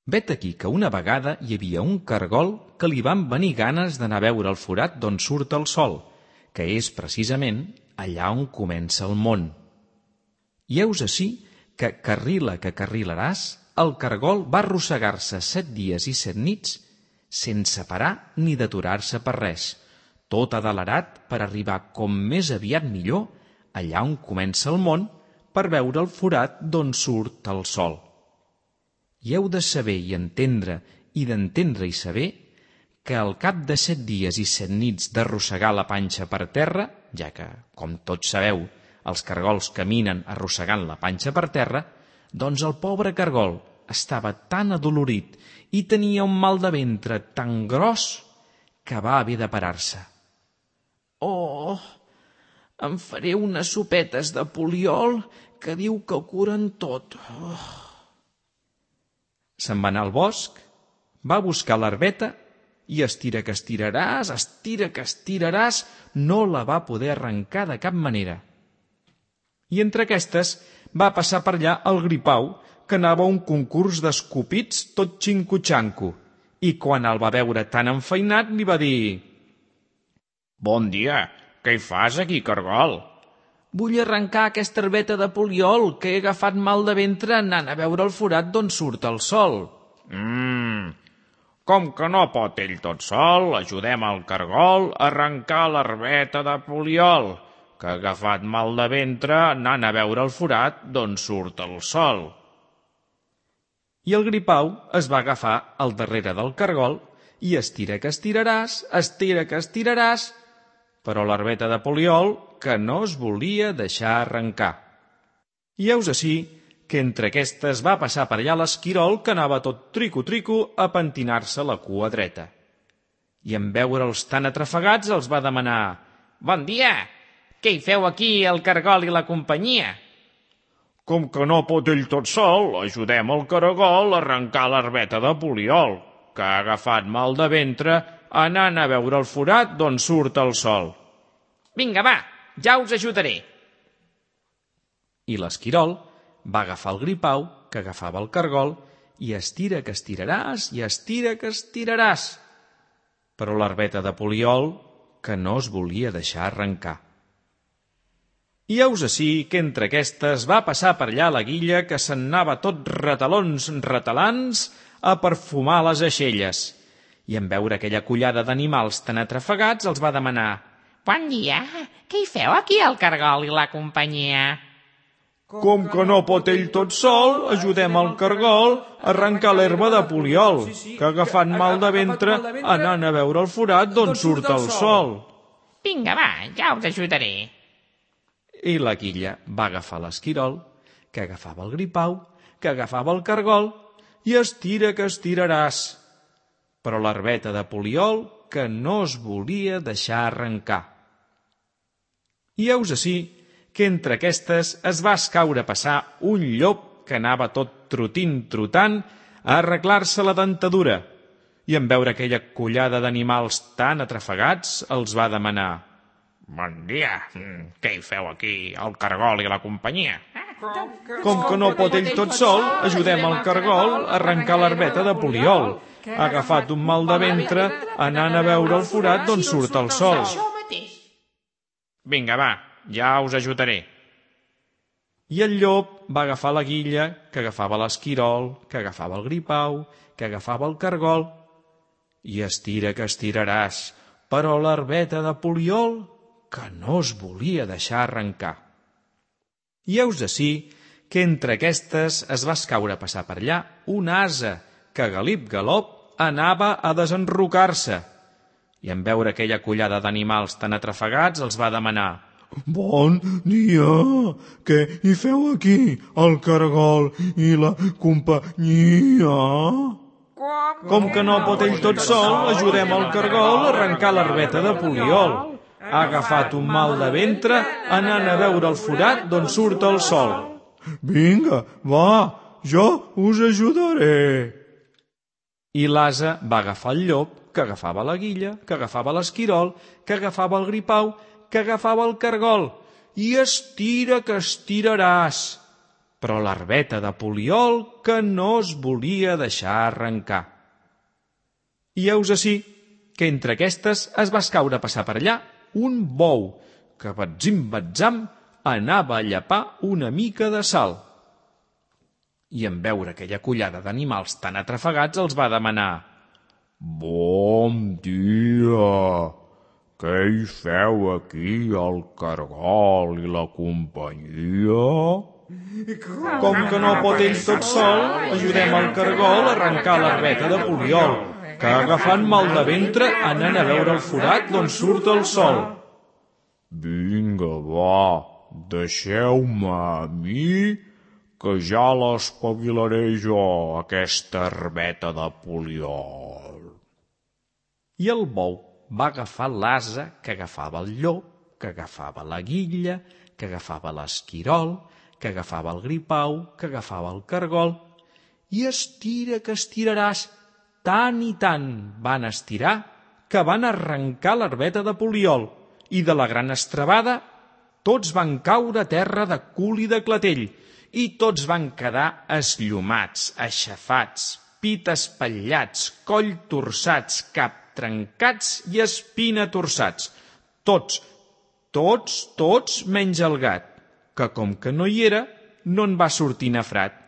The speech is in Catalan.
Vet aquí que una vegada hi havia un cargol que li van venir ganes d'anar a veure el forat d'on surt el sol, que és precisament allà on comença el món. I heus ací que carrilaràs, el cargol va arrossegar-se 7 dies i 7 nits sense parar ni d'aturar-se per res, tot adelerat per arribar com més aviat millor allà on comença el món per veure el forat d'on surt el sol. I heu de saber i entendre i d'entendre i saber que al cap de 7 dies i 7 nits d'arrossegar la panxa per terra, ja que, com tots sabeu, els cargols caminen arrossegant la panxa per terra, doncs el pobre cargol estava tan adolorit i tenia un mal de ventre tan gros que va haver de parar-se. «Oh, em faré unes sopetes de poliol que diu que ho curen tot». Se'n va anar al bosc, va buscar l'herbeta i estira que estiraràs, no la va poder arrencar de cap manera. I entre aquestes va passar per allà el Gripau, que anava a un concurs d'escopits tot xinco-xanco, i quan el va veure tan enfeinat li va dir: «Bon dia, què hi fas aquí, cargol?» «Vull arrencar aquesta herbeta de poliol, que he agafat mal de ventre anant a veure el forat d'on surt el sol». Com que no pot ell tot sol, ajudem el cargol a arrencar l'herbeta de poliol, que ha agafat mal de ventre anant a veure el forat d'on surt el sol. I el Gripau es va agafar al darrere del cargol i estira que estiraràs, però l'herbeta de poliol que no es volia deixar arrencar. I heus ací que entre aquestes va passar per allà l'esquirol, que anava tot trico-trico a pentinar-se la cua dreta. I en veure'ls tan atrafegats els va demanar: «Bon dia! Què hi feu aquí, el cargol i la companyia?» «Com que no pot ell tot sol, ajudem el cargol a arrencar l'herbeta de poliol, que ha agafat mal de ventre anant a veure el forat d'on surt el sol». «Vinga, va, ja us ajudaré». I l'esquirol va agafar el Gripau, que agafava el cargol, i estira que estiraràs, però l'herbeta de poliol que no es volia deixar arrencar. I heus ací que entre aquestes va passar per allà la Guilla, que se'n anava tot retalants a perfumar les aixelles, i en veure aquella collada d'animals tan atrafegats els va demanar: «Bon dia, què hi feu aquí, el cargol i la companyia?» «Com que no pot ell tot sol, ajudem el cargol a arrencar l'herba de poliol, que ha agafat mal de ventre anant a veure el forat d'on surt el sol». «Vinga, va, ja us ajudaré». I la Guilla va agafar l'esquirol, que agafava el Gripau, que agafava el cargol, i estira que estiraràs, però l'herbeta de poliol que no es volia deixar arrencar. I heus ací que entre aquestes es va escaure a passar un llop que anava tot trotant a arreglar-se la dentadura, i en veure aquella collada d'animals tan atrafegats els va demanar: «Bon dia, què hi feu aquí, el cargol i la companyia?» «Com que no pot ell tot sol, ajudem el cargol a arrencar l'herbeta de poliol, ha agafat un mal de ventre anant a veure el forat d'on surt el sol». «Vinga, va, ja us ajudaré». I el llop va agafar la Guilla, que agafava l'esquirol, que agafava el Gripau, que agafava el cargol, i estira que estiraràs, però l'herbeta de poliol que no es volia deixar arrencar. I heus ací que entre aquestes es va escaure a passar per allà una ase que galip-galop anava a desenrocar-se, i en veure aquella collada d'animals tan atrafegats els va demanar: «Bon dia, què hi feu aquí, el cargol i la companyia?» «Com que no pot ell tot sol, ajudem el cargol a arrencar l'herbeta de poliol. Ha agafat un mal de ventre anant a veure el forat d'on surt el sol». «Vinga, va, jo us ajudaré». I l'ase va agafar el llop, que agafava la Guilla, que agafava l'esquirol, que agafava el Gripau, que agafava el cargol, i estira que estiraràs, però l'herbeta de poliol que no es volia deixar arrencar. I heus ací que entre aquestes es va escaure a passar per allà un bou que, batzim-batzam, anava a llepar una mica de sal. I en veure aquella collada d'animals tan atrafegats els va demanar: «Bon dia! Què hi feu aquí, el cargol i la companyia?» «Com que no pot ell tot sol, ajudem el cargol a arrencar l'herbeta de poliol, que agafant mal de ventre anant a veure el forat d'on surt el sol.» «Vinga, va, deixeu-me a mi, que ja l'espavilaré jo, aquesta herbeta de poliol.» I el bou va agafar l'ase que agafava el llop, que agafava la guilla, que agafava l'esquirol, que agafava el gripau, que agafava el cargol, i estira que estiraràs, tant i tant van estirar que van arrencar l'herbeta de poliol, i de la gran estrebada tots van caure a terra de cul i de clatell, i tots van quedar esllomats, aixafats, pit espatllats, coll torçats, cap trencats i espina torçats. Tots menys el gat, que com que no hi era, no en va sortir nafrat.